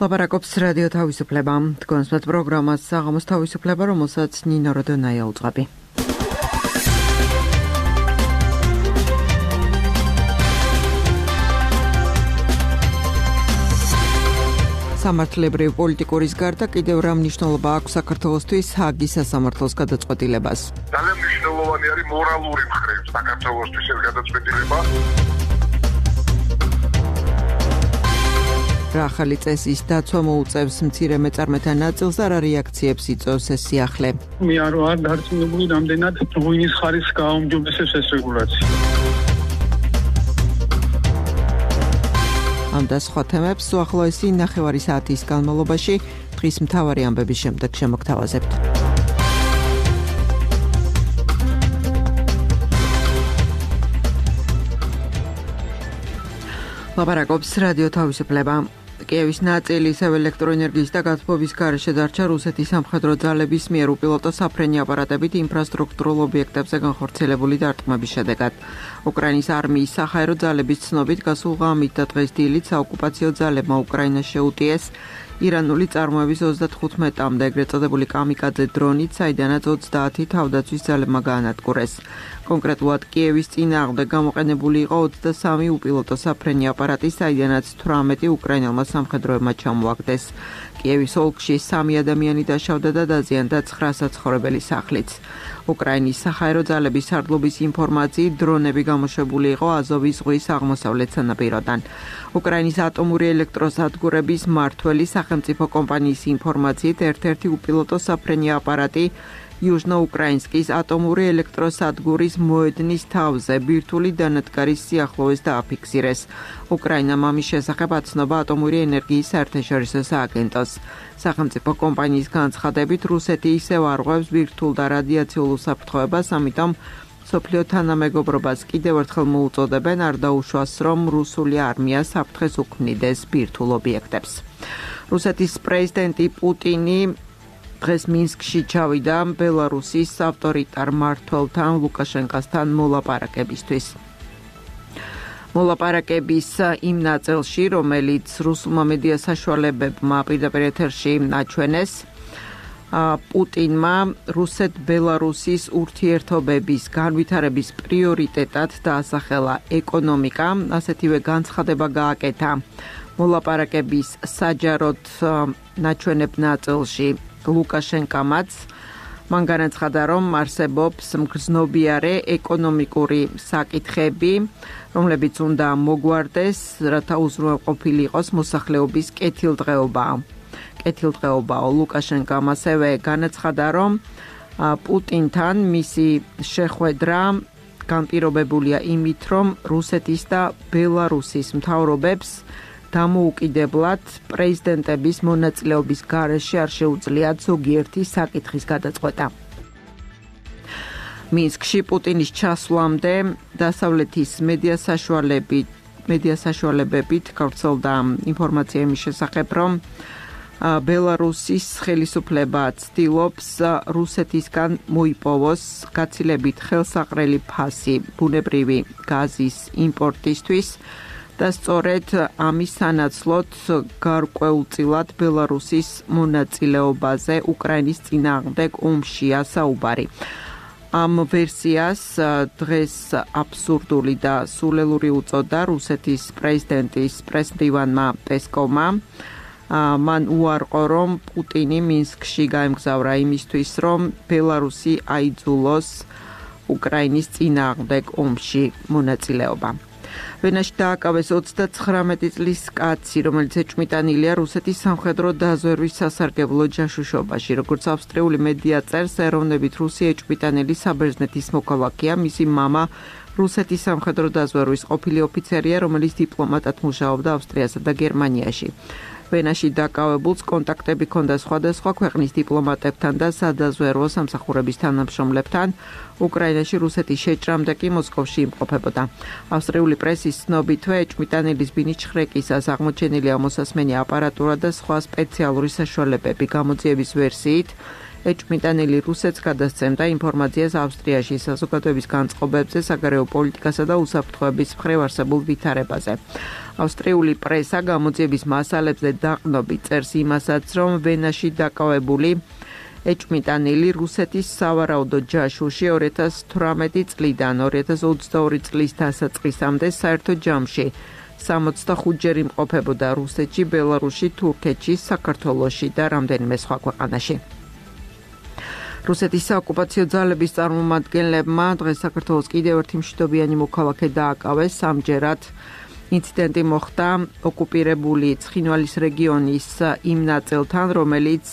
ლაპარაკობს რადიო თავისუფლება. თქვენს პროგრამას საღამოს თავისუფლება, რომელსაც ნინო როდონაია უძღვები. სამართლებრივ პოლიტიკურის გარდა კიდევ რა მნიშვნელობა აქვს საქართველოსთვის ჰაგის სასამართლოს გადაწყვეტილებას? ძალიან მნიშვნელოვანი არის მორალური მხრივ საქართველოსთვის ეს გადაწყვეტილება. რა ახალი წესის დაცვა მოუწევს მცირე მეწარმეთა ნაწილს და რა რეაქციებს იწვევს ეს სიახლე? მე არ ვარ დარწმუნებული რამდენად ღვინის ხარისხს გააუმჯობესებს ეს რეგულაცია. ამ და სხვა თემებს უახლოესი ნახევარი საათის განმავლობაში დღის მთავარი ამბების შემდეგ შემოგთავაზებთ. ლაპარაკობს რადიო თავისუფლება. კიევის ნაწილი ისევ ელექტროენერგიის და გაზაფხვის გარეშე დარჩა რუსეთის სამხედრო ძალების მიერ უპილოტო საფრენი აპარატებით ინფრასტრუქტურულ ობიექტებზე განხორციელებული დარტყმების შედეგად. უკრაინის არმიის საჰაერო ძალების ცნობით გასულ ღამით და დღეს დილით საოკუპაციო ძალებმა უკრაინას შეუტიეს ირანული წარმოების 35-მდე ეგრეთ წოდებული კამიკაძე დრონით, საიდანაც 30 თავდაცვის ძალებმა გაანადგურეს. კონკრეტულად კიევის წინააღმდეგ გამოყენებული იყო 23 უპილოტო საფრენი აპარატი, საიდანაც 18 უკრაინელმა სამხედროებმა ჩამოაგდეს. კიევის ოლქში 3 ადამიანი დაშავდა და დაზიანდა 9 საცხოვრებელი სახლიც. უკრაინის საჰაერო ძალების სარდლობის ინფორმაციით დრონები გამოშვებული იყო აზოვის ზღვის აღმოსავლეთ სანაპიროდან. უკრაინის ატომური ელექტროსადგურების მმართველი სახელმწიფო კომპანიის ინფორმაციით ერთ-ერთი უპილოტო საფრენი აპარატი იუჟნო-უკრაინსკის ატომური ელექტროსადგურის მოედნის თავზე ბირთვული დანადგარის სიახლოვეს დააფიქსირეს. უკრაინამ ამის შესახებ აცნობა ატომური ენერგიის საერთაშორისო სააგენტოს. სახელმწიფო კომპანიის განცხადებით, რუსეთი ისევ არღვევს ბირთვულ და რადიაციულ უსაფრთხოებას, ამიტომ მსოფლიო თანამეგობრობას კიდევ ერთხელ მოუწოდებენ არ დაუშვას, რომ რუსული არმია საფრთხეს უქმნიდეს ბირთვულ ობიექტებს. რუსეთის პრეზიდენტი პუტინი დღეს მინსკში ჩავიდა ბელარუსის ავტორიტარ მმართველთან ლუკაშენკასთან მოლაპარაკებისთვის. მოლაპარაკების იმ ნაწილში, რომელიც რუსულმა მედია საშუალებებმა პირდაპირ ეთერში აჩვენეს, პუტინმა რუსეთ-ბელარუსის ურთიერთობების განვითარების პრიორიტეტად დაასახელა ეკონომიკა, ასეთივე განცხადება გააკეთა მოლაპარაკების საჯაროდ ნაჩვენებ ნაწილში ლუკაშენკამაც. მან განაცხადა, რომ არსებობს მგრძნობიარე ეკონომიკური საკითხები, რომლებიც უნდა მოგვარდეს, რათა უზრუნველყოფილი იყოს მოსახლეობის კეთილდღეობა. ლუკაშენკამ ასევე განაცხადა, რომ პუტინთან მისი შეხვედრა განპირობებულია იმით, რომ რუსეთის და ბელარუსის მთავრობებს დამოუკიდებლად პრეზიდენტების მონაწილეობის გარეშე არ შეუძლიათ ზოგიერთი საკითხის გადაწყვეტა. მინსკში პუტინის ჩასვლამდე დასავლეთის მედია საშუალებებით გავრცელდა ინფორმაცია იმის შესახებ, რომ ბელარუსის ხელისუფლება ცდილობს რუსეთისგან მოიპოვოს გაცილებით ხელსაყრელი ფასი ბუნებრივი გაზის იმპორტისთვის და სწორედ ამის სანაცვლოდ გარკვეულწილად ბელარუსის მონაწილეობაზე უკრაინის წინააღმდეგ ომშია საუბარი. ამ ვერსიას დღეს აბსურდული და სულელური უწოდა რუსეთის პრეზიდენტის პრესმდივანმა პესკოვმა. მან უარყო, რომ პუტინი მინსკში გაემგზავრა იმისთვის, რომ ბელარუსი აიძულოს უკრაინის წინააღმდეგ ომში მონაწილეობა. ვენაში დააკავეს 39 წლის კაცი, რომელიც ეჭვმიტანილია რუსეთის სამხედრო დაზვერვის სასარგებლო ჯაშუშობაში. როგორც ავსტრიული მედია წერს, ეროვნებით რუსი ეჭვმიტანელი საბერძნეთის მოქალაქეა, მისი მამა რუსეთის სამხედრო დაზვერვის ყოფილი ოფიცერია, რომელიც დიპლომატად მუშაობდა ავსტრიასა და გერმანიაში. ვენაში დაკავებულს კონტაქტები ჰქონდა სხვადასხვა ქვეყნის დიპლომატებთან და სადაზვერვო სამსახურების თანამშრომლებთან. უკრაინაში რუსეთის შეჭრამდე კი მოსკოვში იმყოფებოდა. ავსტრიული პრესის ცნობითვე ეჭვმიტანელის ბინის ჩხრეკისას აღმოჩენილია მოსასმენი აპარატურა და სხვა სპეციალური საშუალებები. გამოძიების ვერსიით ეჭვმიტანილი რუსეთს გადასცემდა ინფორმაციას ავსტრიაში საზოგადოების განწყობებზე, საგარეო პოლიტიკასა და უსაფრთხოების მხრივ არსებულ ვითარებაზე. ავსტრიული პრესა გამოძიების მასალებზე დაყრდნობით წერს იმასაც, რომ ვენაში დაკავებული ეჭვმიტანილი რუსეთის სავარაუდო ჯაშუში 2018 წლიდან 2022 წლის დასაწყისამდე საერთო ჯამში 65-ჯერ იმყოფებოდა რუსეთში, ბელარუსში, თურქეთში, საქართველოში და რამდენიმე სხვა ქვეყანაში. რუსეთის საოკუპაციო ძალების წარმომადგენლებმა დღეს საქართველოს კიდევ ერთი მშვიდობიანი მოქალაქე დააკავეს. სამჯერად ინციდენტი მოხდა ოკუპირებული ცხინვალის რეგიონის იმ ნაწილთან, რომელიც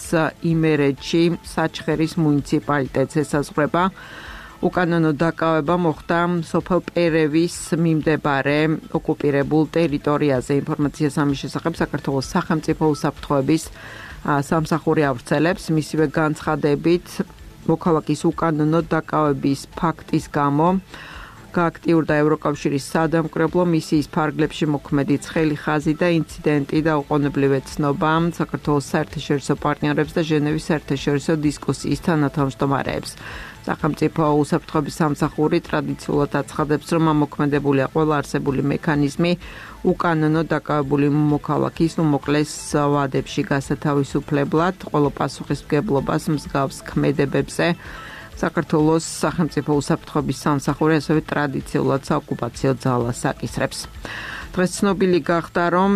იმერეთში საჩხერის მუნიციპალიტეტს ესაზღვრება. უკანონო დაკავება მოხდა სოფელ პერევის მიმდებარე ოკუპირებულ ტერიტორიაზე. ინფორმაციას ამის შესახებ საქართველოს სახელმწიფო უსაფრთხოების სამსახური ავრცელებს. მისივე განცხადებით, მოქალაქის უკანონო დაკავების ფაქტის გამო გააქტიურდა ევროკავშირის სადამკვირვებლო მისიის ფარგლებში მოქმედი ცხელი ხაზი და ინციდენტი და უყოვნებლივ ეცნობა საქართველოს საერთაშორისო პარტნიორებს და ჟენევის საერთაშორისო დისკუსიის თანათავმჯდომარეებს. სახელმწიფო უსაფრთხოების სამსახური ტრადიციულად აცხადებს, რომ ამოქმედებულია ყველა არსებული მექანიზმი უკანონო დაკავებული მოქალაქის უმოკლეს ვადებში გასათავისუფლებლად, ყველა პასუხისმგებლობას მსგავს ქმედებებზე. საქართველოს სახელმწიფო უსაფრთხოების სამსახური ასევე ტრადიციულად საოკუპაციო ძალას აკისრებს. დღეს ცნობილი გახდა, რომ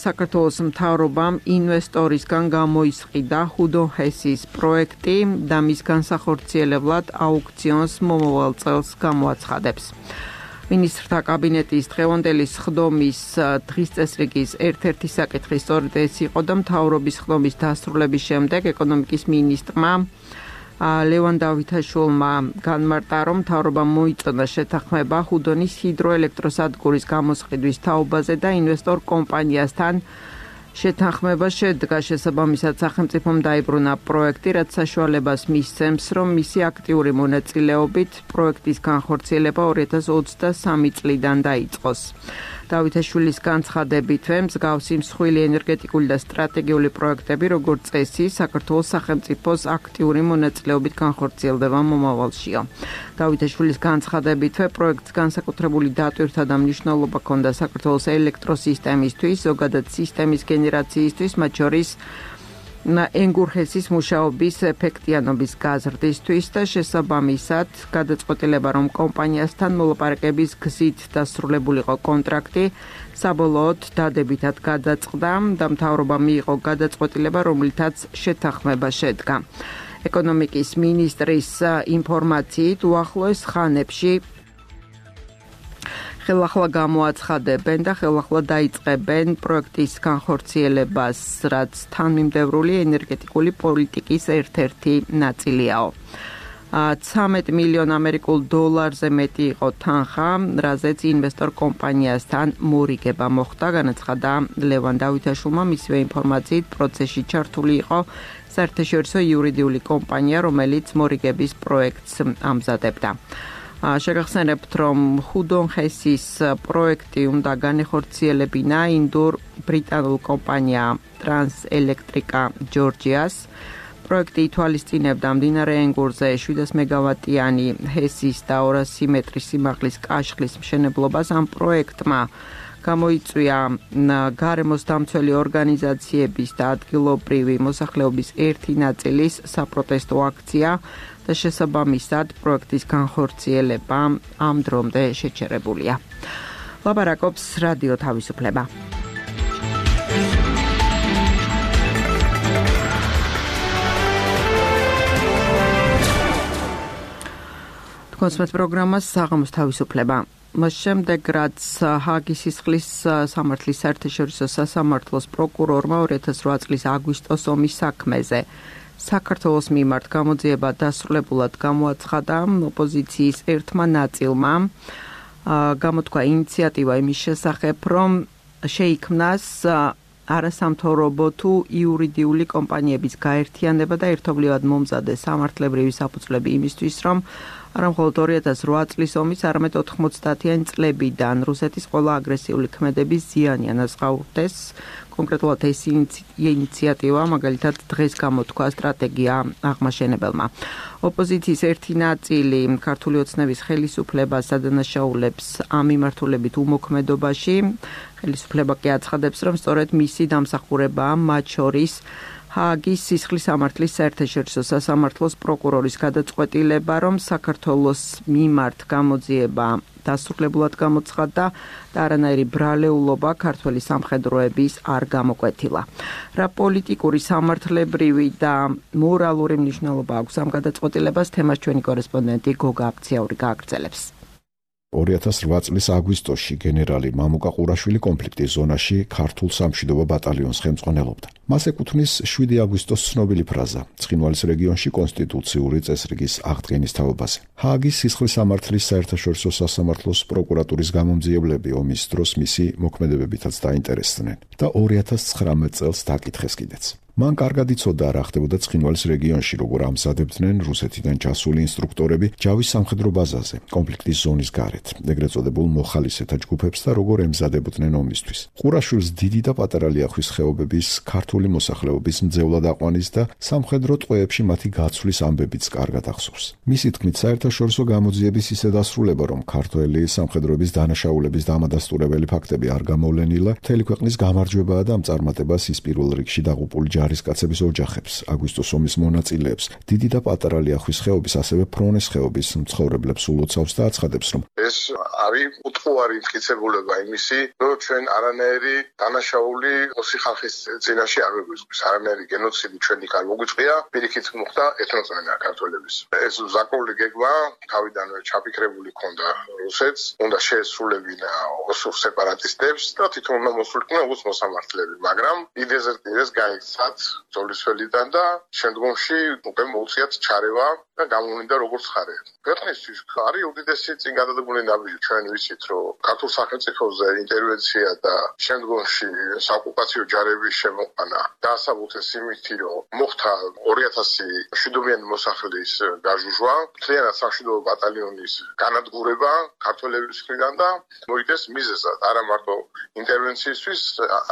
საქართველოს მთავრობამ ინვესტორისგან გამოისყიდა ჰუდონ ჰესის პროექტი და მის განსახორციელებლად აუქციონს მომავალ წელს გამოაცხადებს. მინისტრთა კაბინეტის დღევანდელი სხდომის დღის წესრიგის ერთ-ერთი საკითხი სწორედ ეს იყო და მთავრობის სხდომის დასრულების შემდეგ ეკონომიკის მინისტრმა ლევან დავითაშვილმა განმარტა, რომ მთავრობამ მოიწონა შეთანხმება ჰუდონის ჰიდროელექტროსადგურის გამოსყიდვის თაობაზე და ინვესტორ კომპანიასთან შეთანხმება შედგა. შესაბამისად, სახელმწიფომ დაიბრუნა პროექტი, რაც საშუალებას მისცემს, რომ მისი აქტიური მონაწილეობით პროექტის განხორციელება 2023 წლიდან დაიწყოს. დავითაშვილის განცხადებითვე მსგავსი მსხვილი ენერგეტიკული და სტრატეგიული პროექტები, როგორც წესი, საქართველოს სახელმწიფოს აქტიური მონაწილეობით განხორციელდება მომავალშიო. დავითაშვილის განცხადებითვე პროექტს განსაკუთრებული დატვირთვა და მნიშვნელობა ჰქონდა საქართველოს ელექტროსისტემისთვის, ზოგადად სისტემის გენერაციისთვის, მათ შორის ენგურჰესის მუშაობის ეფექტიანობის გაზრდისთვის და შესაბამისად გადაწყვეტილება, რომ კომპანიასთან მოლაპარაკების გზით დასრულებულიყო კონტრაქტი, საბოლოოდ დადებითად გადაწყდა და მთავრობამ მიიღო გადაწყვეტილება, რომლითაც შეთანხმება შედგა. ეკონომიკის მინისტრის ინფორმაციით, უახლოეს ხანებში ხელახლა გამოაცხადებენ და ხელახლა დაიწყებენ პროექტის განხორციელებას, რაც თანმიმდევრული ენერგეტიკული პოლიტიკის ერთ-ერთი ნაწილიაო. 13 მილიონ ამერიკულ დოლარზე მეტი იყო თანხა, რაზეც ინვესტორ კომპანიასთან მორიგება მოხდა, განაცხადა ლევან დავითაშვილმა. მისივე ინფორმაციით, პროცესში ჩართული იყო საერთაშორისო იურიდიული კომპანია, რომელიც მორიგების პროექტს ამზადებდა. შეგახსენებთ, რომ ჰუდონ ჰესის პროექტი უნდა განეხორციელებინა ინდურ-ბრიტანულ კომპანია ტრანსელექტრიკა ჯორჯიას. პროექტი ითვალისწინებდა მდინარე ენგურზე 700 მეგავატიანი ჰესის და 200 მეტრის სიმაღლის კაშხლის მშენებლობას. ამ პროექტმა გამოიწვია გარემოს დამცველი ორგანიზაციების და ადგილობრივი მოსახლეობის ერთი ნაწილის საპროტესტო აქცია და შესაბამისად პროექტის განხორციელება ამ დრომდე შეჩერებულია. ლაპარაკობს რადიო თავისუფლება. კონსმეთ პროგრამას საღამოს თავისუფლება. მას შემდეგ, რაც ჰააგის სისხლის სამართლის საერთაშორისო სასამართლოს პროკურორმა 2008 წლის აგვისტოს ომის საქმეზე საქართველოს მიმართ გამოძიება დასრულებულად გამოაცხადა, ოპოზიციის ერთმა ნაწილმა გამოთქვა ინიციატივა იმის შესახებ, რომ შეიქმნას არასამთავრობო თუ იურიდიული კომპანიების გაერთიანება და ერთობლივად მომზადეს სამართლებრივი საფუძვლები იმისთვის, რომ არა მხოლოდ 2008 წლის ომის, არამედ 90-იანი წლებიდან რუსეთის ყველა აგრესიული ქმედების ზიანი ანაზღაურდეს. კონკრეტულად ეს ინიციატივა მაგალითად დღეს გამოთქვა სტრატეგია აღმაშენებელმა. ოპოზიციის ერთი ნაწილი ქართული ოცნების ხელისუფლებას ადანაშაულებს ამ მიმართულებით უმოქმედობაში. ხელისუფლება კი აცხადებს, რომ სწორედ მისი დამსახურებაა მათ შორის ჰააგის სისხლის სამართლის საერთაშორისო სასამართლოს პროკურორის გადაწყვეტილება, რომ საქართველოს მიმართ გამოძიება დასრულებულად გამოცხადდა და არანაირი ბრალეულობა ქართველი სამხედროების არ გამოკვეთილა. რა პოლიტიკური, სამართლებრივი და მორალური მნიშვნელობა აქვს ამ გადაწყვეტილებას, თემას ჩვენი კორესპონდენტი გოგა აფციაური გააგრძელებს. 2008 წლის აგვისტოში გენერალი მამუკა ყურაშვილი კონფლიქტის ზონაში ქართულ სამშვიდობო ბატალიონს ხელმძღვანელობდა. მას ეკუთვნის 7 აგვისტოს ცნობილი ფრაზა ცხინვალის რეგიონში კონსტიტუციური წესრიგის აღდგენის თაობაზე. ჰააგის სისხლის სამართლის საერთაშორისო სასამართლოს პროკურატურის გამომძიებლები ომის დროს მისი მოქმედებებითაც დაინტერესდნენ და 2019 წელს დაკითხეს კიდეც. მან კარგად იცოდა რა ხდებოდა ცხინვალის რეგიონში, როგორ ამზადებდნენ რუსეთიდან ჩასული ინსტრუქტორები ჯავის სამხედრო ბაზაზე, კონფლიქტის ზონის გარეთ, ეგრეთ წოდებულ მოხალისეთა ჯგუფებს და როგორ ემზადებოდნენ ომისთვის. ყურაშვილს დიდი და პატარა ლიახვის ხეობების ქართული მოსახლეობის მძევლად აყვანის და სამხედრო ტყვეებში მათი გაცვლის ამბებიც კარგად ახსოვს. მისი თქმით, საერთაშორისო გამოძიების ისე დასრულება, რომ ქართველი სამხედროების დანაშაულების დამადასტურებელი ფაქტები არ გამოვლენილა, მთელი ქვეყნის გამარჯვებაა და ამ წარმატებას ის პირველ რიგში დაღუპული ჯარისკაცების ოჯახებს, აგვისტოს ომის მონაწილეებს, დიდი და პატარა ლიახვის ხეობის, ასევე ფრონეს ხეობის მცხოვრებლებს ულოცავს და აცხადებს, რომ ეს არის უთხოვარი მტკიცებულება იმისი, რომ ჩვენ არანაირი დანაშაული ოსი ხალხის წინაშე არ გვიგვიწყვის, არანაირი გენოციდი ჩვენი არ მოგვიწყია, პირიქით მოხდა ეთნოცენა ქართველების. ეს ზაკული გეგმა თავიდანვე ჩაფიქრებული ჰქონდა რუსეთს, უნდა შეესრულებინა ოსურ სეპარატისტებს და თვითონ უნდა მოსულიყვნენ ოს მოსამართლეები, მაგრამ იდეზე ეს გაიქცა ძოლისველიდან და შემდგომში უკვე მოუწიათ ჩარევა და გამოვლინდა როგორც ხარე. ქვეყნისთვის არის უდიდესი წინ გადადებული ნაბიჯი. ჩვენ ვიცით, რომ ქართულ სახელმწიფოზე ინტერვენცია და შემდგომში საოკუპაციო ჯარების შემოყვანა დაასაბუთეს იმით, რომ მოხდა 2000 მშვიდობიანი მოსახლის გაჟუჟვა, მთლიანად სამშვიდობო ბატალიონის განადგურება ქართველების მხრიდან და მოიდეს მიზეზად არა მარტო ინტერვენციისთვის,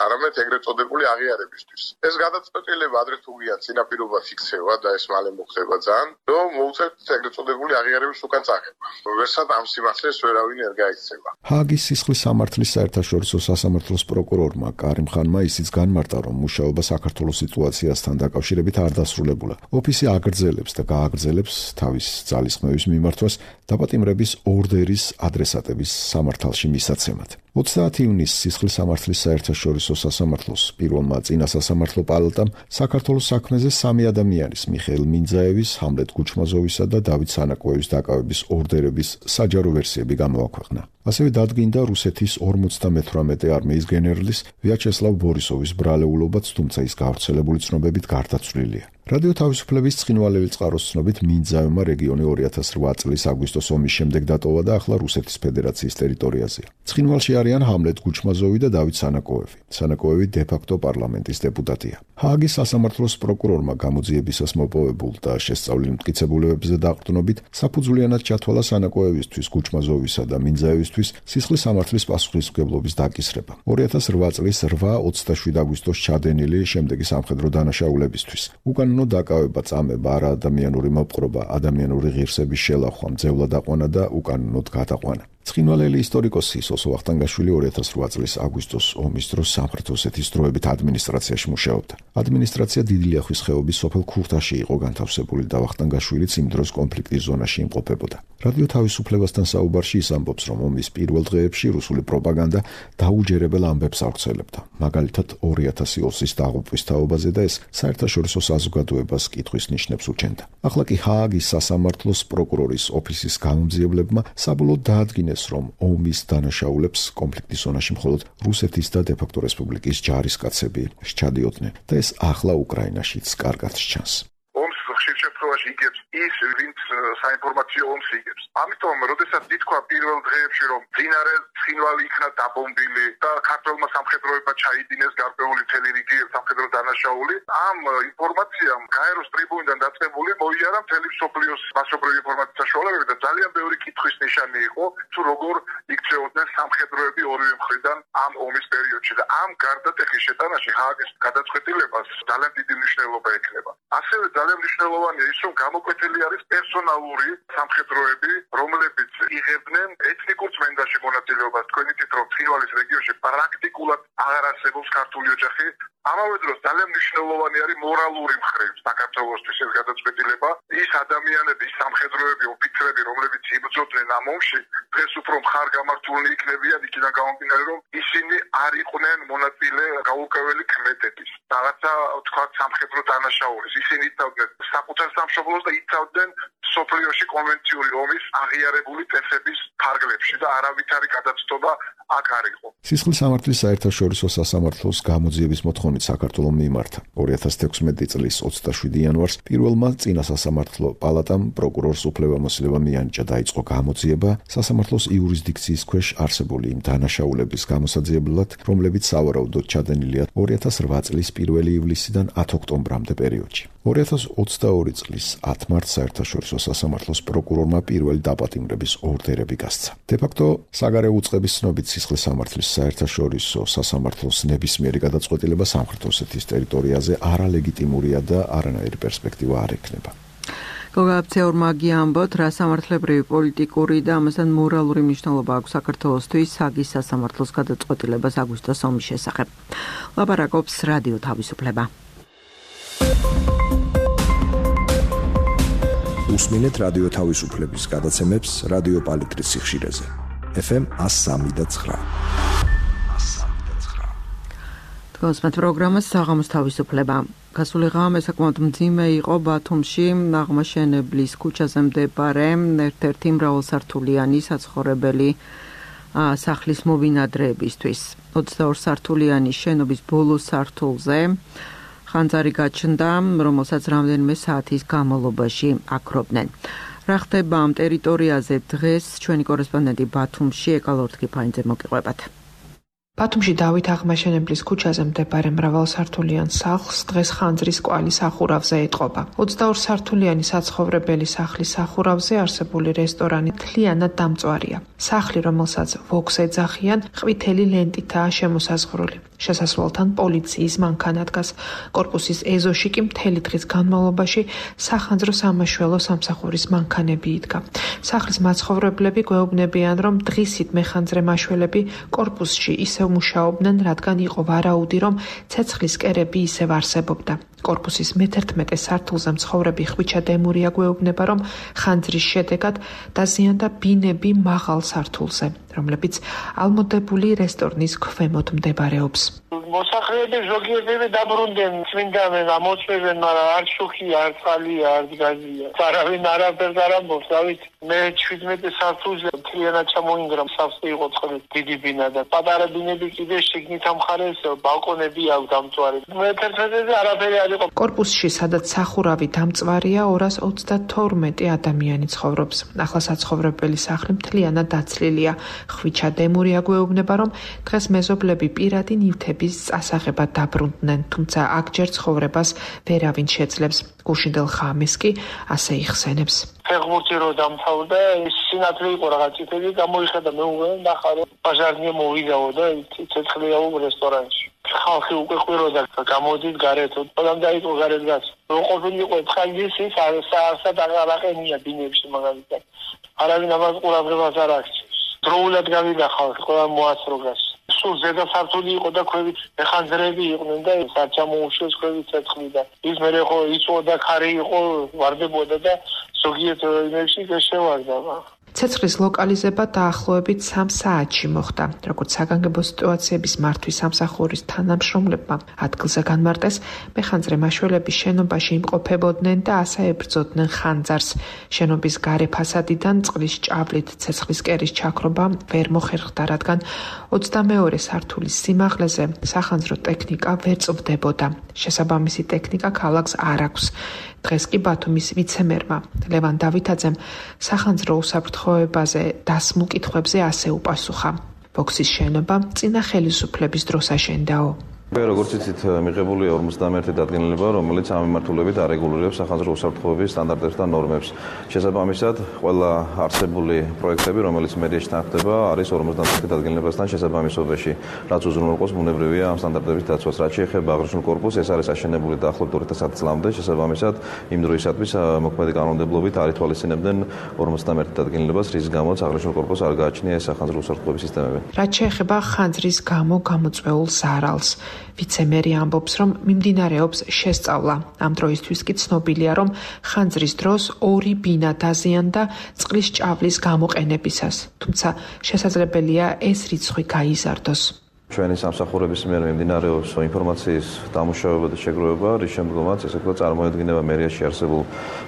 არამედ ეგრეთ წოდებული აღიარებისთვის. ეს გადაწყვეტილება ადრე თუ გია წინაპირობა ფიქსება და ეს მალე მოხდება ძალიან, რომ მოუწევთ ეგრეთ წოდებული აღიარების უკან წაღება. ვერსად ამ სიმართლეს ვერავინ არ გაიქცევა. ჰააგის სისხლის სამართლის საერთაშორისო სასამართლოს პროკურორმა კარიმ ხანმა ისიც განმარტა, რომ მუშაობა საქართველოს სიტუაციასთან დაკავშირებით არ დასრულებულა. ოფისი აგრძელებს და გააგრძელებს თავის ძალისხმევის მიმართვას დაპატიმრების ორდერის ადრესატების სამართალში მისაცემად. 30 ივნისს სისხლის სამართლის საერთაშორისო სასამართლოს პირველმა წინა სასამართლო პალატამ საქართველოს საქმეზე 3 ადამიანის მიხეილ მინძაევის, ჰამლეტ გუჩმაზოვისა და დავით სანაკოევის დაკავების ორდერების საჯარო ვერსიები გამოაქვეყნა. ასევე დადგინდა რუსეთის 58 არმიის გენერლის ვიაჩესლავ ბორისოვის ბრალეულობაც, თუმცა ის გავრცელებული ცნობებით გარდაცვლილია. რადიო თავისუფლების ცხინვალელი წყაროს ცნობით მინძაევმა რეგიონი 2008 წლის აგვისტოს ომის შემდეგ დატოვა და ახლა რუსეთის ფედერაციის ტერიტორიაზეა. ცხინვალში არიან ჰამლეტ გუჩმაზოვი და დავით სანაკოევი. სანაკოევი დე-ფაქტო პარლამენტის დეპუტატია. ჰააგის სასამართლოს პროკურორმა გამოძიებისას მოპოვებულ და შესწავლილ მტკიცებულებებზე დაყრდნობით საფუძვლიანად ჩათვალა სანაკოევისთვის, გუჩმაზოვისა და მინძაევისთვის სისხლის სამართლის პასუხისმგებლობის დაკისრება. 2008 წლის 8-27 აგვისტოს ჩადენილი შემდეგი სამხედრო დანაშაულებისთვის. უკანონო დაკავება, წამება, არაადამიანური მოპყრობა, ადამიანური ღირსების შელახვა, მძევლად აყვანა და უკანონოდ გადაყვანა. ცხინვალელი ისტორიკოსი სოსო ვახტანგაშვილი 2008 წლის აგვისტოს ომის დროს სამხრეთ-ოსეთის დროებით ადმინისტრაციაში მუშაობდა. ადმინისტრაცია დიდი ლიახვის ხეობის სოფელ ქურთაში იყო განთავსებული და ვახტანგაშვილიც იმ დროს კონფლიქტის ზონაში იმყოფებოდა. რადიო თავისუფლებასთან საუბარში ის ამბობს, რომ ომის პირველ დღეებში რუსული პროპაგანდა დაუჯერებელ ამბებს ავრცელებდა. მაგალითად 2020-ის დაღუპვის თაობაზე და ეს საერთაშორისო საზოგადოებას კითხვის ნიშნებს უჩენდა. ახლა კი ჰააგის სასამართლოს პროკურორის ოფისის გამომძიებლებმა საბოლოოდ დაადგინეს, რომ ომის დანაშაულებს კონფლიქტის ზონაში მხოლოდ რუსეთის და დე-ფაქტო რესპუბლიკის ჯარისკაცები სჩადიოდნენ და ეს ახლა უკრაინაშიც კარგად სჩანს. ომს ხშირ შემთხვევაში შემთხვევაში იგებს ის, ვინც საინფორმაციო ომს იგებს. ამიტომ, როდესაც ითქვა პირველ დღეებში, რომ მდინარე ცხინვალი იქნა დაბომბილი და ქართველმა სამხედროებმა ჩაიდინეს გარკვეული მთელი რიგი სამხედრო დანაშაული, ამ ინფორმაციამ გაეროს ტრიბუნიდან დაწყებული მოიარა მთელი მსოფლიოს მასშტაბური ინფორმაციის საშუალებები და ძალიან ბევრი კითხვის ნიშანი იყო, თუ როგორ იქცეოდნენ სამხედროები ორივე მხრიდან ამ ომის პერიოდში და ამ გარდატეხის შეტანაში ჰააგის გადაწყვეტილებას ძალიან დიდი მნიშვნელობა ექნება. ასევე ძალიან მნიშვნელოვანია ის, რომ გამოკვეთილი არის პერსონალური სამხედროები, რომლებიც იღებდნენ ეთნიკურ წმენდაში მონაწილეობას. თქვენი თით რომ ცხინვალის რეგიონში პრაქტიკულად აღარ არსებობს ქართული ოჯახი. ამავე დროს ძალიან მნიშვნელოვანი არის მორალური მხრივ საქართველოსთვის ეს გადაწყვეტილება. ის ადამიანები, ის სამხედროები, ოფიცრები, რომლებიც იბრძოდნენ ამ ომში, დღეს უფრო მხარგამართულნი იქნებიან იქიდან გამომდინარე, რომ ისინი არ იყვნენ მონაწილე გაურკვეველი ქმედების. რაღაცა თქვა სამხედრო დანაშაულის. ისინი იცავდნენ საკუთარ სამშობლოს და იცავდნენ სოფლიოში კონვენციური ომის აღიარებული წესების ფარგლებში და არავითარი გადაცდობა აქ არ იყო. სისხლის სამართლის საერთაშორისო სასამართლოს გამოძიების მოთხოვნით საქართველოს მიმართა 2016 წლის 27 იანვარს პირველმა წინა სასამართლო პალატამ პროკურორს უფლებამოსილება მიანიჭა დაიწყო გამოძიება სასამართლოს იურისდიქციის ქვეშ არსებული იმ დანაშაულების გამოსაძიებლად, რომლებიც სავარაუდოდ ჩადენილია 2008 წლის 1 ივლისიდან 10 ოქტომბრამდე პერიოდში. 2022 წლის 10 მარტს საერთაშორისო სასამართლოს პროკურორმა პირველი დაპატიმრების ორდერები გასცა. დე-ფაქტო საგარეო უწყების ცნობით სისხლის სამართლის საერთაშორისო სასამართლოს ნებისმიერი გადაწყვეტილება სამხრეთ ოსეთის ტერიტორიაზე არალეგიტიმურია და არანაირი პერსპექტივა არ ექნება. გოგაბცეორმა გიამბოთ, რა სამართლებრივი პოლიტიკური და ამასთან მორალური მნიშვნელობა აქვს საქართველოსთვის ჰააგის სასამართლოს გადაწყვეტილებას აგვისტოს ომის შესახებ. ლაპარაკობს რადიო თავისუფლება. უსმინეთ რადიო თავისუფლების გადაცემებს რადიო პალიტრის სიხშირეზე. FM 103.9. თქვენს პროგრამას საღამოს თავისუფლება. გასული ღამე საკმაოდ მძიმე იყო ბათუმში, აღმაშენებლის ქუჩაზე მდებარე ერთ-ერთი მრავალსართულიანი საცხოვრებელი სახლის მობინადრეებისთვის. 22 სართულიანი შენობის ბოლო სართულზე ხანძარი გაჩნდა, რომელსაც რამდენიმე საათის განმავლობაში აქრობდნენ. რა ხდება ამ ტერიტორიაზე დღეს ჩვენი კორესპონდენტი ბათუმში ეკალორთგი ფაინძე მოგიყვებათ. ბათუმში დავით აღმაშენებლის ქუჩაზე მდებარე მრავალსართულიან სახლს დღეს ხანძრის კვალი სახურავზე ეტყობა. 22 სართულიანი საცხოვრებელი სახლის სახურავზე არსებული რესტორანი მთლიანად დამწვარია. სახლი, რომელსაც ვოქს ეძახიან, ყვითელი ლენტითაა შემოსაზღვრული. შესასვლელთან პოლიციის მანქანა დგას. კორპუსის ეზოში კი მთელი დღის განმავლობაში სახანძრო სამაშველო სამსახურის მანქანები იდგა. სახლის მაცხოვრებლები გვეუბნებიან, რომ დღისით მეხანძრე მაშველები კორპუსში ისევ მუშაობდნენ, რადგან იყო ვარაუდი, რომ ცეცხლის კერები ისევ არსებობდა. კორპუსის მე-11 სართულზე მცხოვრები ხვიჩა დემურია გვეუბნება, რომ ხანძრის შედეგად დაზიანდა ბინები მაღალ სართულზე, რომლებიც ალმოდებული რესტორნის ქვემოთ მდებარეობს. მოსახლეები ზოგიერთები დაბრუნდნენ, წმინდანენ, ამოწმებენ, მაგრამ არ შუქია, არ წყალია, არ გაზია. არავინ არაფერს არ ამბობს, დავით. მე 17 სართულზე მთლიანად ჩამოინგრა, სავსე იყო წყლით, დიდი ბინა და პატარა ბინები კიდე შიგნით ამხარეს ბალკონები აქვს დამწვარი. მე-11-ზე არაფერი არ იყო. კორპუსში, სადაც სახურავი დამწვარია, 232 ადამიანი ცხოვრობს. ახლა საცხოვრებელი სახლი მთლიანად დაცლილია. ხვიჩა დემურია გვეუბნება, რომ დღეს მეზობლები პირადი ნივთების წასაღებად დაბრუნდნენ, თუმცა აქ ჯერ ცხოვრებას ვერავინ შეძლებს. გუშინდელ ხამეს კი ასე იხსენებს. ფეხბურთი რო დამთავრდა, სინათლე იყო რაღაც წითელი, გამოიხედა მეუღლე და ხარო პაჟარნია მოვიდაო და ცეცხლიაო რესტორანში. ხალხი უკვე ყვიროდა, გამოდით გარეთ, ყველამ დაიწყო გარეთ გას. რო ყოფილიყო ცხალგის ის საასად აღარაყენია ბინებში მაგალითად. არავინ ამას ყურადღებას არ აქცევს. დროულად გავიდა ხალხი, ყველა მოასრო გას. სულ ზედა სართული იყო და ქვევით მეხანძრები იყვნენ და საჩამოუშვეს ქვევით ცეცხლი და ის მერე ხო იწოდა ხარი იყო, ვარდებოდა და ზოგიერთ იმებში შევარდა. ცეცხლის ლოკალიზება დაახლოებით 3 საათში მოხდა. როგორც საგანგებო სიტუაციების მართვის სამსახურის თანამშრომლებმა ადგილზე განმარტეს, მეხანძრე მაშველები შენობაში იმყოფებოდნენ და ასე ებრძოდნენ ხანძარს. შენობის გარე ფასადიდან წყლის ჭავლით ცეცხლის კერის ჩაქრობა ვერ მოხერხდა, რადგან 22 სართულის სიმაღლეზე სახანძრო ტექნიკა ვერ წვდებოდა. შესაბამისი ტექნიკა ქალაქს არ აქვს. დღეს კი ბათუმის ვიცემერმა ლევან დავითაძემ სახანძრო უსაფრთხოებაზე დასმულ კითხვებზე ასე უპასუხა. Vox-ის შენობა წინა ხელისუფლების დროს აშენდაო. როგორც იცით, მიღებულია 51 დადგენილება, რომელიც ამ მიმართულებით არეგულირებს სახანძრო უსაფრთხოების სტანდარტებს და ნორმებს. შესაბამისად, ყველა არსებული პროექტები, რომელიც მერიაში თანხდება, არის 51 დადგენილებასთან შესაბამისობაში, რაც უზრუნველყოფს ბუნებრივია ამ სტანდარტების დაცვას. რაც შეეხება აღნიშნულ კორპუსს, ეს არის აშენებული დაახლოებით 2010 წლამდე, შესაბამისად, იმ დროისათვის მოქმედი კანონმდებლობით არ ითვალისწინებდნენ 51 დადგენილებას, რის გამოც აღნიშნულ კორპუსს არ გააჩნია ეს სახანძრო უსაფრთხოების სისტემები. რაც შეეხება ხანძრის გამო გამოწვეულ ზარალს, ვიცემერი ამბობს, რომ მიმდინარეობს შესწავლა. ამ დროისთვის კი ცნობილია, რომ ხანძრის დროს 2 ბინა დაზიანდა წყლის ჭავლის გამოყენებისას. თუმცა შესაძლებელია ეს რიცხვი გაიზარდოს. ჩვენი სამსახურების მიერ მიმდინარეობს ინფორმაციის დამუშავება და შეგროვება, რის შემდგომაც ესე ვთქვათ წარმოედგინება მერიაში არსებულ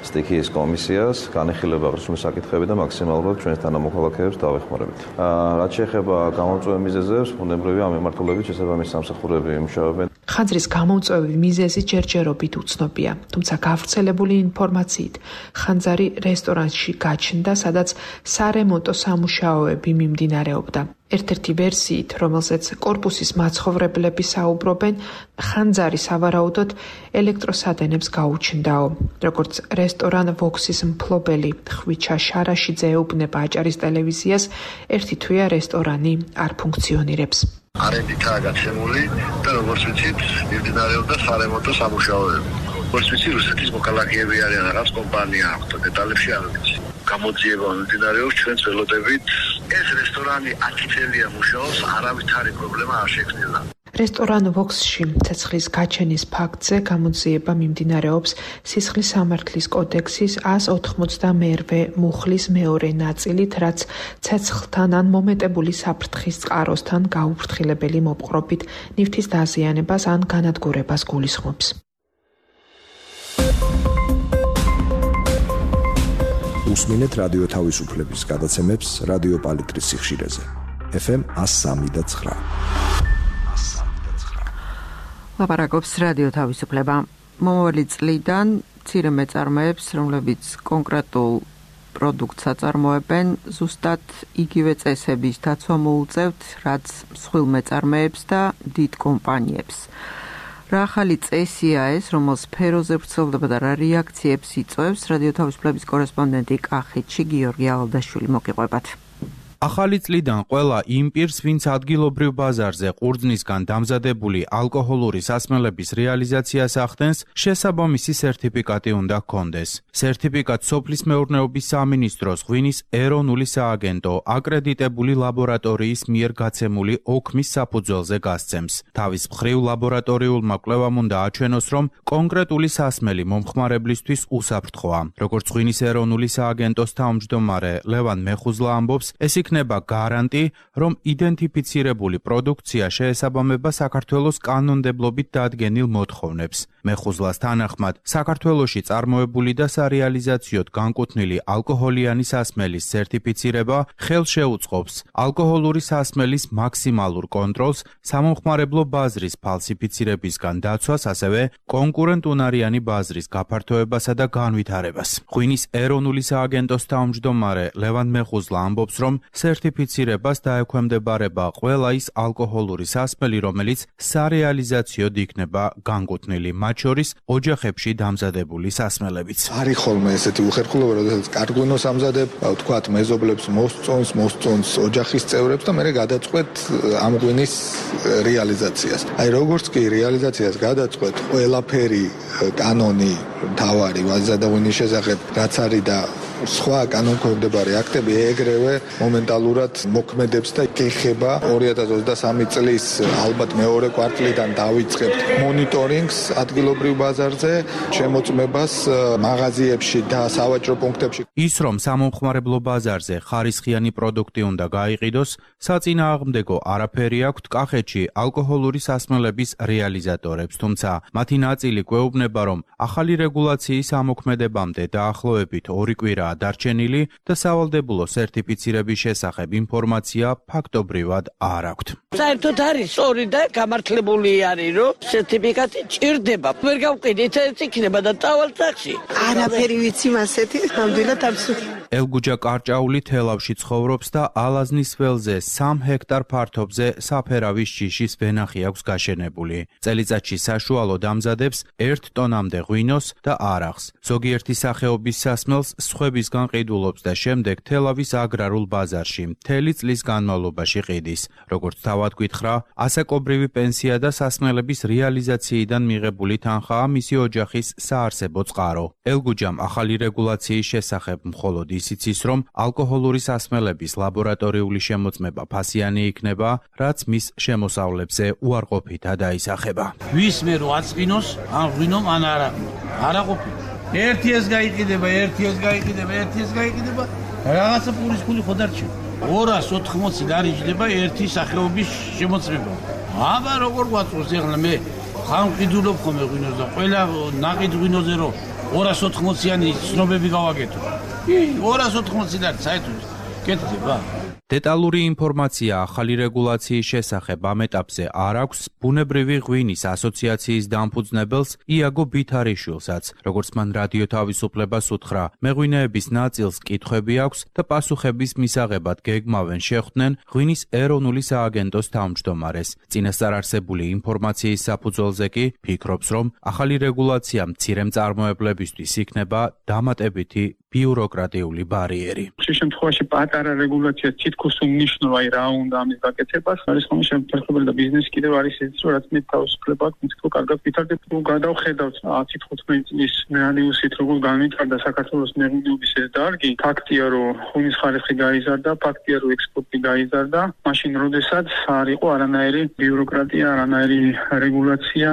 სტიქიის კომისიას, განეხილება აღნიშნული საკითხები და მაქსიმალურად ჩვენს თანამოქალაქეებს დავეხმარებით. რაც შეეხება გამომწვევი მიზეზებს, ბუნებრივია ამ მიმართულებით შესაბამისი სამსახურები იმუშავებენ. ხანძრის გამომწვევი მიზეზი ჯერჯერობით უცნობია, თუმცა გავრცელებული ინფორმაციით ხანძარი რესტორანში გაჩნდა, სადაც სარემონტო სამუშაოები მიმდინარეობდა. ერთ-ერთი ვერსიით, რომელზეც კორპუსის მაცხოვრებლები საუბრობენ, ხანძარი სავარაუდოდ ელექტროსადენებს გაუჩნდაო. როგორც რესტორან Vox-ის მფლობელი ხვიჩა შარაშიძე ეუბნება აჭარის ტელევიზიას, ერთი თვეა რესტორანი არ ფუნქციონირებს. არენდითაა გაცემული და როგორც ვიცით, მიმდინარეობდა სარემონტო სამუშაოები. როგორც ვიცით, რუსეთის მოქალაქეები არიან, რაღაც კომპანია აქვს და დეტალებში არ ვიცი. გამოძიება მიმდინარეობს ჩვენს ველოდებით. ეს რესტორანი 10 წელია მუშაობს, არავითარი პრობლემა არ შექმნილა. რესტორან Vox-ში ცეცხლის გაჩენის ფაქტზე გამოძიება მიმდინარეობს სისხლის სამართლის კოდექსის 198 მუხლის მეორე ნაწილით, რაც ცეცხლთან ან მომეტებული საფრთხის წყაროსთან გაუფრთხილებელი მოპყრობით ნივთის დაზიანებას ან განადგურებას გულისხმობს. უსმინეთ რადიო თავისუფლების გადაცემებს რადიო პალიტრის სიხშირეზე. FM 103.9. ლაპარაკობს რადიო თავისუფლება. მომავალი წლიდან მცირე მეწარმეებს, რომლებიც კონკრეტულ პროდუქტს აწარმოებენ, ზუსტად იგივე წესების დაცვა მოუწევთ, რაც მსხვილ მეწარმეებს და დიდ კომპანიებს. რა ახალი წესია ეს, რომელ სფეროზე ვრცელდება და რა რეაქციებს იწვევს, რადიო თავისუფლების კორესპონდენტი კახეთში გიორგი ალდაშვილი მოგიყვებათ. ახალი წლიდან ყველა იმ პირს, ვინც ადგილობრივ ბაზარზე ყურძნისგან დამზადებული ალკოჰოლური სასმელების რეალიზაციას ახდენს, შესაბამისი სერტიფიკატი უნდა ჰქონდეს. სერტიფიკატს სოფლის მეურნეობის სამინისტროს ღვინის ეროვნული სააგენტო აკრედიტებული ლაბორატორიის მიერ გაცემული ოქმის საფუძველზე გასცემს. თავის მხრივ ლაბორატორიულმა კვლევამ უნდა აჩვენოს, რომ კონკრეტული სასმელი მომხმარებლისთვის უსაფრთხოა. როგორც ღვინის ეროვნული სააგენტოს თავმჯდომარე ლევან მეხუზლა ამბობს, ეს იქნება გარანტი, რომ იდენტიფიცირებული პროდუქცია შეესაბამება საქართველოს კანონმდებლობით დადგენილ მოთხოვნებს. მეხუზლას თანახმად, საქართველოში წარმოებული და სარეალიზაციოდ განკუთვნილი ალკოჰოლიანი სასმელის სერტიფიცირება ხელს შეუწყობს ალკოჰოლური სასმელის მაქსიმალურ კონტროლს, სამომხმარებლო ბაზრის ფალსიფიცირებისგან დაცვას, ასევე კონკურენტუნარიანი ბაზრის გაფართოებასა და განვითარებას. ღვინის ეროვნული სააგენტოს თავმჯდომარე ლევან მეხუზლა ამბობს, რომ სერტიფიცირებას დაექვემდებარება ყველა ის ალკოჰოლური სასმელი, რომელიც სარეალიზაციოდ იქნება განკუთვნილი, მათ შორის ოჯახებში დამზადებული სასმელებიც. არის ხოლმე ესეთი უხერხულობა, როდესაც კარგვინოს ამზადებ, ვთქვათ, მეზობლებს მოსწონს ოჯახის წევრებს და მე გადაწყვეტ ამ ღვინის რეალიზაციას. აი როგორც კი რეალიზაციას გადაწყვეტ, ყველაფერი კანონი თავარი ვაზა ღვინის შესახებ, რაც არის და სხვა კანონქვემდებარე აქტები ეგრევე მომენტალურად მოქმედებს და ეხება 2023 წლის ალბათ მეორე კვარტლიდან დავიწყებთ მონიტორინგს ადგილობრივ ბაზარზე, შემოწმებას მაღაზიებში და სავაჭრო პუნქტებში. ის, რომ სამომხმარებლო ბაზარზე ხარისხიანი პროდუქტი უნდა გაიყიდოს, საწინააღმდეგო არაფერი აქვთ კახეთში ალკოჰოლური სასმელების რეალიზატორებს, თუმცა მათი ნაწილი გვეუბნება, რომ ახალი რეგულაციის ამოქმედებამდე დაახლოებით 2 კვირაა დარჩენილი და სავალდებულო სერტიფიცირების შესახებ ინფორმაცია ფაქტობრივად არ აქვთ. საერთოდ არის სწორი და გამართლებული არის, რომ სერტიფიკატი ჭირდება. ვერ გავყიდით, ეს იქნება და წავალ ტაქსი. არაფერი ვიცი მასეთი, ნამდვილად აბსურდი. ელგუჯა კარჭაული თელავში ცხოვრობს და ალაზნის ველზე 3 ჰექტარ ფართობზე საფერავის ჯიშის ვენახი აქვს გაშენებული. წელიწადში საშუალოდ ამზადებს 1 ტონამდე ღვინოს და არახს. ზოგიერთი სახეობის სასმელს სხვებისგან ყიდულობს და შემდეგ თელავის აგრარულ ბაზარში მთელი წლის განმავლობაში ყიდის. როგორც თავად გითხრა, ასაკობრივი პენსია და სასმელების რეალიზაციიდან მიღებული თანხაა მისი ოჯახის საარსებო წყარო. ელგუჯამ ახალი რეგულაციის შესახებ მხოლოდ ისიც ის, რომ ალკოჰოლური სასმელების ლაბორატორიული შემოწმება ფასიანი იქნება, რაც მის შემოსავლებზე უარყოფითა დაისახება. ვისმე რო აწვინოს, ან ღვინომ, ან არაყოფი. ერთი ეს გაიყიდება, რაღაცა პურის ფული ხო დარჩება. 280 დარიჯდება ერთი სახეობის შემოწმება. აბა როგორ გვაწვოს ახლა მე ხან ყიდულობ ხოლმე ღვინოს და ყველა ნაყიდ ღვინოზე რო 280-იანი ცნობები გავაკეთო. 280 და საერთოდ კეთდება. დეტალური ინფორმაცია ახალი რეგულაციის შესახებ ამ ეტაპზე არ აქვს ბუნებრივი ღვინის ასოციაციის დამფუძნებელს იაგო ბითარიშვილსაც. როგორც მან რადიო თავისუფლებას უთხრა, მეღვინეების ნაწილს კითხვები აქვს და პასუხების მისაღებად გეგმავენ შეხვდნენ ღვინის ეროვნული სააგენტოს თავმჯდომარეს. წინასწარ არსებული ინფორმაციის საფუძველზე კი ფიქრობს, რომ ახალი რეგულაცია მცირე მწარმოებლებისთვის იქნება დამატებითი ბიუროკრატიული ბარიერი. შემთხვევაში პატარა რეგულაცია თითქოს უნიშნავს რა უნდა ამის გაკეთებას. არის ხოლმე შემთხვევები და ბიზნესი კიდევ არის ის, რომ რაც მე თავისუფლება აქვს, თითქოს კარგად ვითარდება. თუ გადავხედავთ 10-15 წლის რეალიუსით, როგორ განვითარდა საქართველოს მეღვინეობის ეს დარგი, ფაქტია, რომ ღვინის ხარისხი გაიზარდა, ფაქტია, რომ ექსპორტი გაიზარდა, მაშინ როდესაც არ იყო არანაირი ბიუროკრატია, არანაირი რეგულაცია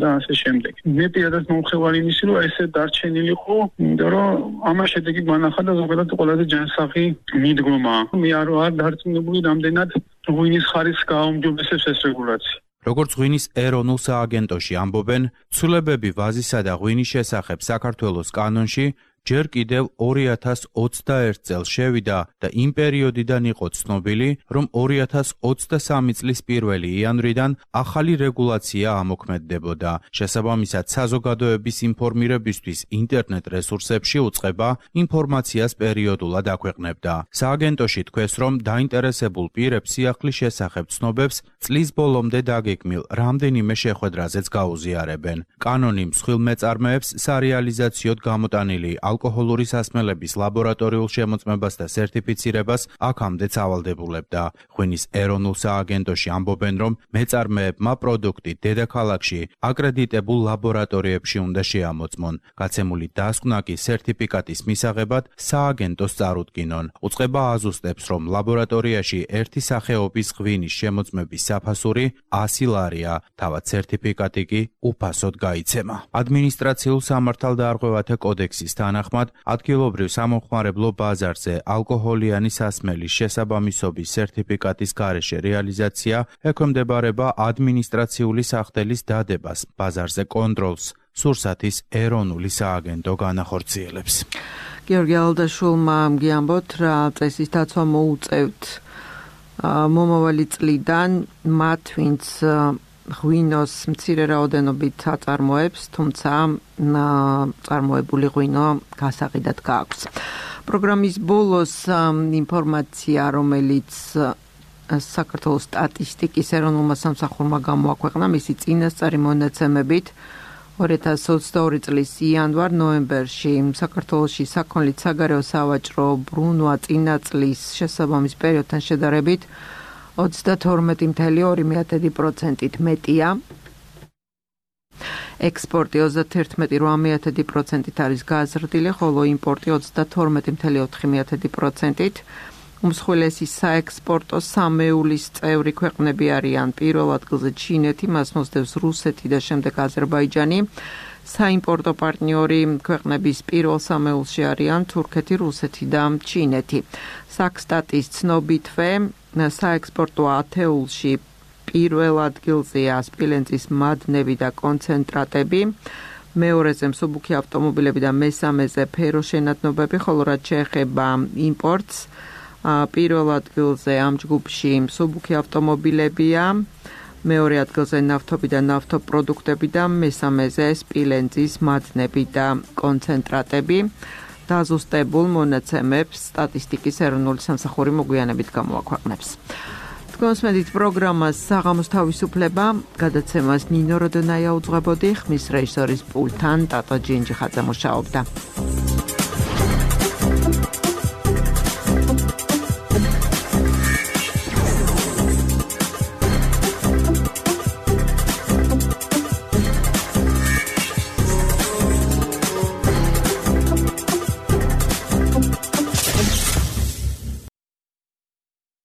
და ასე შემდეგ. მე პირადად მომხევარი იმისი, რომ ესე დარჩენილიყო, იმიტომ რომ ამაში შედეგი განახადა ზოგადად ყველაზე ჯანსაღი მიდგომა. მე არ დარწმუნებული რამდენად ღვინის ხარისხს გააუმჯობესებს ეს რეგულაცია. როგორც ღვინის ეროვნულ სააგენტოში ამბობენ, ცვლილებები ვაზისა და ღვინის შესახებ საქართველოს კანონში ჯერ კიდევ 2021 წელს შევიდა და იმ პერიოდიდან იყო ცნობილი, რომ 2023 წლის 1 იანვრიდან ახალი რეგულაცია ამოქმედდებოდა. შესაბამისად, საზოგადოების ინფორმირებისთვის ინტერნეტ რესურსებში უწყება ინფორმაციას პერიოდულად აქვეყნებდა. სააგენტოში თქვეს, რომ დაინტერესებულ პირებს სიახლის შესახებ ცნობებს წლის ბოლომდე დაგეგმილ რამდენიმე შეხვედრაზეც გაუზიარებენ. კანონი მსხვილ მეწარმეებს სარეალიზაციოდ გამოტანილი ალკოჰოლური სასმელების ლაბორატორიულ შემოწმებას და სერტიფიცირებას აქამდე ავალდებულებდა. ღვინის ეროვნულ სააგენტოში ამბობენ, რომ მეწარმეებმა პროდუქტი დედაქალაქში აკრედიტებულ ლაბორატორიებში უნდა შეამოწმონ. გაცემული დასკვნა კი სერტიფიკატის მისაღებად სააგენტოს წარუდგინონ. უწყება აზუსტებს, რომ ლაბორატორიაში ერთი სახეობის ღვინის შემოწმების საფასური 100 ლარია, თავად სერტიფიკატი კი უფასოდ გაიცემა. ადმინისტრაციულ სამართალდაარღვევათა კოდექსის თანახმად ადგილობრივ სამომხმარებლო ბაზარზე ალკოჰოლიანი სასმელის შესაბამისობის სერტიფიკატის გარეშე რეალიზაცია ექვემდებარება ადმინისტრაციული სახდელის დადებას. ბაზარზე კონტროლს სურსათის ეროვნული სააგენტო განახორციელებს. გიორგი ალდაშვილმა გიამბოთ, რა წესის დაცვა მოუწევთ მომავალი წლიდან მათ, ვინც ღვინოს მცირე რაოდენობით აწარმოებს, თუმცა წარმოებული ღვინო გასაყიდად გააქვს. პროგრამის ბოლოს ინფორმაცია, რომელიც საქართველოს სტატისტიკის ეროვნულმა სამსახურმა გამოაქვეყნა, მისი წინასწარი მონაცემებით 2022 წლის იანვარ-ნოემბერში საქართველოში საქონლით საგარეო სავაჭრო ბრუნვა წინა წლის შესაბამის პერიოდთან შედარებით 32.2%-ით მეტია. ექსპორტი 31.8%-ით არის გაზრდილი, ხოლო იმპორტი 32.4%-ით. უმსხვილესი საექსპორტო სამეულის წევრი ქვეყნები არიან პირველ ადგილზე ჩინეთი, მას მოსდევს რუსეთი და შემდეგ აზერბაიჯანი. საიმპორტო პარტნიორი ქვეყნების პირველ სამეულში არიან თურქეთი, რუსეთი და ჩინეთი. საქსტატის ცნობითვე საექსპორტო ათეულში პირველ ადგილზეა სპილენძის მადნები და კონცენტრატები. მეორეზე მსუბუქი ავტომობილები და მესამეზე ფეროშენადნობები, ხოლო რაც შეეხება იმპორტს, პირველ ადგილზე ამ ჯგუფში მსუბუქი ავტომობილებია, მეორე ადგილზე ნავთობი და ნავთობპროდუქტები და მესამეზე სპილენძის მადნები და კონცენტრატები. დაზუსტებულ მონაცემებს სტატისტიკის ეროვნული სამსახური მოგვიანებით გამოაქვეყნებს. კონსმედით პროგრამას საღამოს თავისუფლება, გადაცემას ნინო როდონაია უძღვებოდი, ხმის რეჟისორის პულტთან ტატო ჯინჯიხაძე მუშაობდა.